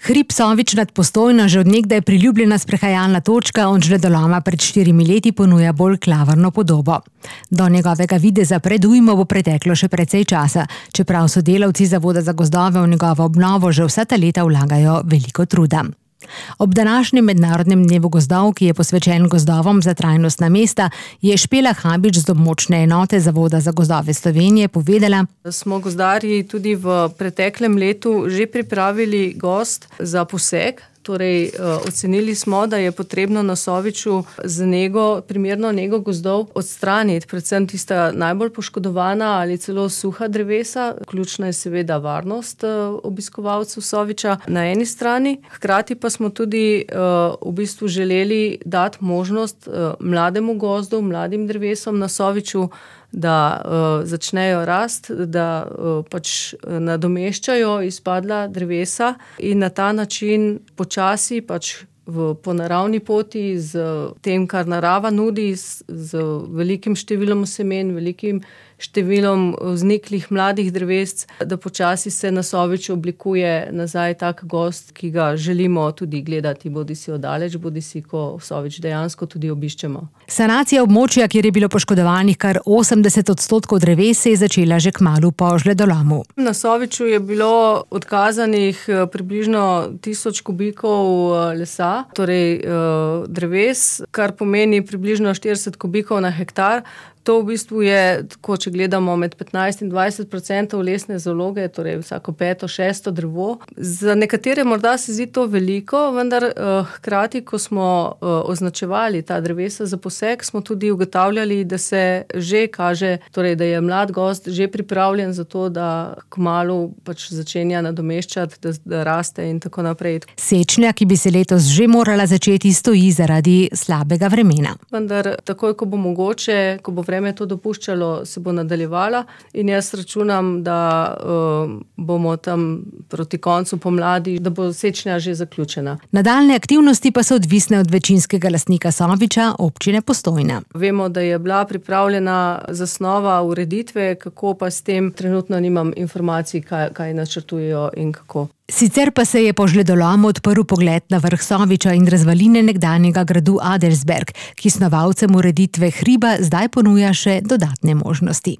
Hrib Sovič nad Postojno, že od nekdaj priljubljena sprehajalna točka, od žledoloma pred 4 leti ponuja bolj klavrno podobo. Do njegovega videza pred ujmo bo preteklo še precej časa, čeprav sodelavci Zavoda za gozdove v njegovo obnovo že vsa ta leta vlagajo veliko truda. Ob današnjem mednarodnem dnevu gozdov, ki je posvečen gozdovom za trajnostna mesta, je Špela Habič z območne enote Zavoda za gozdove Slovenije povedala: Smo gozdarji tudi v preteklem letu že pripravili gozd za poseg. Torej, ocenili smo, da je potrebno na Soviču z primerno nego gozdov odstraniti predvsem tista najbolj poškodovana ali celo suha drevesa. Ključna je seveda varnost obiskovalcev Soviča na eni strani. Hkrati pa smo tudi v bistvu želeli dati možnost mlademu gozdu, mladim drevesom na Soviču, da začnejo rast, da pač nadomeščajo izpadla drevesa in na ta način počasi po naravni poti z tem, kar narava nudi, z velikim številom semen, velikim številom vzniklih mladih drevesc, da počasi se na Soviču oblikuje nazaj tak gozd, ki ga želimo tudi gledati, bodisi oddaleč, bodisi ko Sovič dejansko tudi obiščemo. Sanacija območja, kjer je bilo poškodovanih kar 80% dreves, se je začela že kmalu po žledolomu. Na Soviču je bilo odkazanih približno 1000 kubikov lesa, torej dreves, kar pomeni približno 40 kubikov na hektar. To v bistvu je, tako če gledamo, med 15 in 20% lesne zaloge, torej vsako 5., 6. drevo. Za nekatere morda se zdi to veliko, vendar hkrati, ko smo označevali ta drevesa za poseg, smo tudi ugotavljali, da se že kaže, torej da je mlad gozd že pripravljen za to, da kmalu začenja nadomeščati, da raste in tako naprej. Sečnja, ki bi se letos že morala začeti, stoji zaradi slabega vremena. Vendar takoj, ko bo mogoče, ko bo vreme to dopuščalo, se bo nadaljevala in jaz računam, da bomo tam proti koncu pomladi, da bo sečnja že zaključena. Nadaljne aktivnosti pa so odvisne od večinskega lastnika Soviča, občine Postojna. Vemo, da je bila pripravljena zasnova ureditve, kako pa s tem trenutno nimam informacij, kaj načrtujejo in kako. Sicer pa se je po žledolomu odprl pogled na vrh Soviča in razvaline nekdanjega gradu Adelsberg, ki snovalcem ureditve hriba zdaj ponuja še dodatne možnosti.